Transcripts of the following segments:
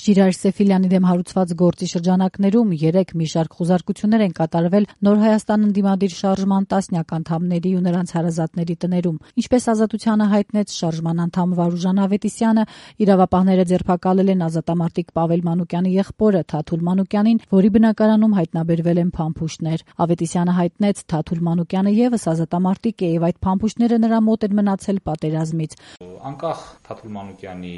Ժիրայր Սեֆիլյանի դեմ հարուցված գործի շրջանակներում 3 մի շարք խուզարկություններ են կատարվել Նոր Հայաստան ընդդիմադիր շարժման տասնյակ անդամների ու նրանց հարազատների տներում։ Ինչպես Ազատությանը հայտնեց շարժման անդամ Վարուժան Ավետիսյանը, իրավապահները ձերբակալել են ազատամարտիկ Պավել Մանուկյանի եղբորը Թաթուլ Մանուկյանին, որի բնակարանում հայտնաբերվել են փամփուշտներ։ Ավետիսյանը հայտնեց Թաթուլ Մանուկյանը եւս ազատամարտիկ է եւ այդ փամփուշտները նրա մոտ են մնացել պատերազմից։ Անկախ Թաթուլ Մանուկյանի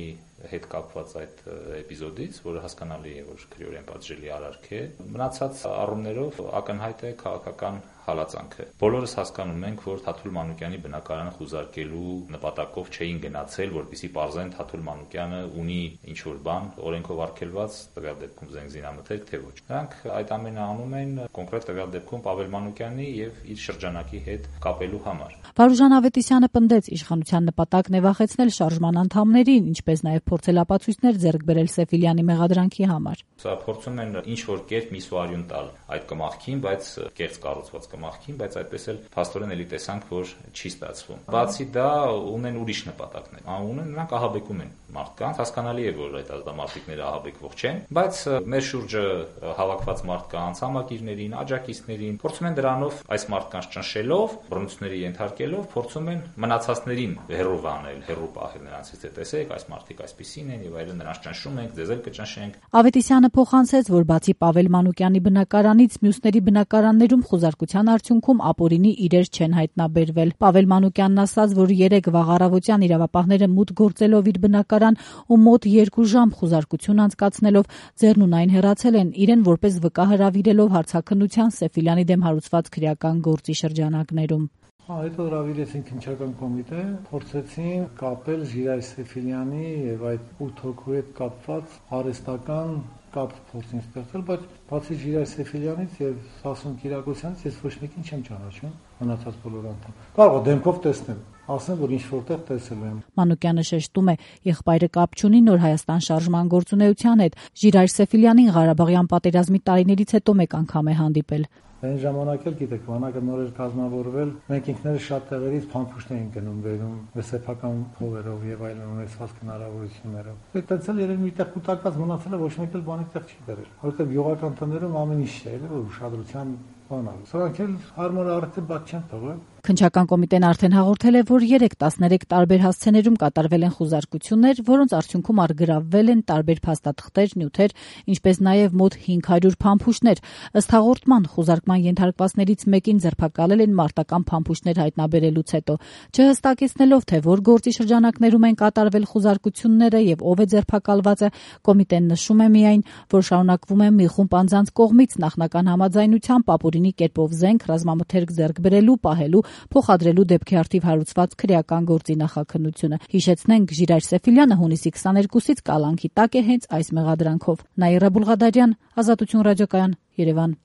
հետ կապված այդ էպիզոդից, որը հասկանալի է, որ քրեորեն պատժելի արարք է, մնացած առումներով ակնհայտ է քաղաքական հալածանքը։ Բոլորս հասկանում ենք, որ Թաթուլ Մանուկյանի բնակարանը խուզարկելու նպատակով չէին գնացել, որպեսզի պարզեն Թաթուլ Մանուկյանը ունի ինչ-որ բան օրենքով արգելված, տվյալ դեպքում զենգզինամթերք, թե ոչ։ Նրանք այդ ամենը անում են կոնկրետ տվյալ դեպքում Պավել Մանուկյանի եւ իր շրջանակի հետ կապելու համար։ Վարուժան Ավետիսյանը պնդեց, իշխանության նպատակն է վախեցնել շարժման անդամներին, ինչպես նաեւ փորձել ապացույցներ ձեռք բերել Սեֆիլյանի մեղադրանքի համար։ Սա փորձում են ինչ-որ կերպ միսուարյուն տալ այդ կմախքին, բայց կեղծ կառուցված կմախքին, բայց այդպես էլ փաստորեն էլի տեսանք, որ չի ստացվում։ Բացի դա ունեն ուրիշ նպատակներ։ Ունեն նրանք ահաբեկում են մարդկանց, հասկանալի է, որ այդ ազատամարտիկները ահաբեկվող չեն, բայց մեր շուրջը հավաքված մարդկանց, համակիրներին, աջակիցներին փորձում են դրանով այս մարդկանց ճնշելով, բռնությունների ենթարկելով, փորձում են մնացածներին հեռու անել, հեռու պահել նրանցից, թե տեսեք, այս մարդիկ այսպիսին են եւ այլն, նրանց ճնշում ենք, ձեզ էլ կճնշենք։ Ավետիսյանը փոխանցեց, որ բացի Պավել Մանուկյանի բնակարանից մյուսների բնակարաններում խուզարկության արդյունքում ապօրինի իրեր չեն հայտնաբերվել։ Պավել Մանուկյանն ասաց, որ 3 վաղ առավոտյան իրավապահները մուտք գործելով իր բնակարան ու մոտ 2 ժամ խուզարկություն անցկացնելով ձեռնունայն հեռացել են, իրեն որպես վկա հրավիրելով հարցաքննության Սեֆիլյանի դեմ հարուցված քրեական գործի շրջանակներում։ Հետո հրավիրեցին քննչական կոմիտե, փորձեցին կապել Ժիրայր Սեֆիլյանի եւ այդ 8 հոգու հետ կապված արհեստական կապ փորձին ստեղծել, բայց բացի Ժիրայր Սեֆիլյանից եւ Սասուն Կիրակոսյանից ես ոչ մեկին չեմ ճանաչում, մնացած բոլոր անդամ։ Կարող է դեմքով տեսնել, ասեմ, որ ինչ որտեղ տեսել եմ։ Մանուկյանը շեշտում է, եղբայրը կապ չունի Նոր Հայաստան շարժման գործունեության հետ։ Ժիրայր Սեֆիլյանին Ղարաբաղյան պատերազմի տարիներից հետո մեկ անգամ է հանդիպել։ Այն ժամանակ էլ գիտեք, բանակը նոր էր կազմավորվել, մենք ինքներս շատ տեղերից փամփուշտներ ենք գնում բերում, սեփական փողերով եւ այլն ունեցած հնարավորություններով։ Այդտեղ էլ երևի միտեղ կուտակված մնացել է, ոչ մեկ էլ բանի տեղ չի դրել, որովհետեւ յուղական տներում ամեն ինչ է, որ ուշադրության բան ա։ Սրանք էլ հարմար արդեն բաց չեն թողել։ Քննչական կոմիտեն արդեն հաղորդել է, որ 3-13 տարբեր հասցեներում կատարվել են խուզարկություններ, որոնց արդյունքում արգրավվել են տարբեր փաստաթղթեր, նյութեր, ինչպես նաև մոտ 500 փամփուշտներ։ Ըստ հաղորդման, խուզարկման ենթարկվածներից մեկին ձերբակալել են մարտական փամփուշտներ հայտնաբերելուց հետո։ Չհստակեցնելով, թե որ գործի շրջանակներում են կատարվել խուզարկությունները եւ ով է ձերբակալվածը, կոմիտեն նշում է միայն, որ շարունակվում է մի խումբ անձանց կողմից նախնական համաձայնությամբ ապօրինի կերպով զենք, ռազմամթերք ձեռք բերելու, պահելու, փոխադրելու դեպքի արդիվ հարուցված քրեական գործի նախաքննությունը։ Հիշեցնենք, Ժիրայր Սեֆիլյանը հունիսի 22-ից կալանքի տակ է հենց այս մեղադրանքով։ Նաիրա Բուլղադարյան, Ազատություն ռադիոկայան, Երևան։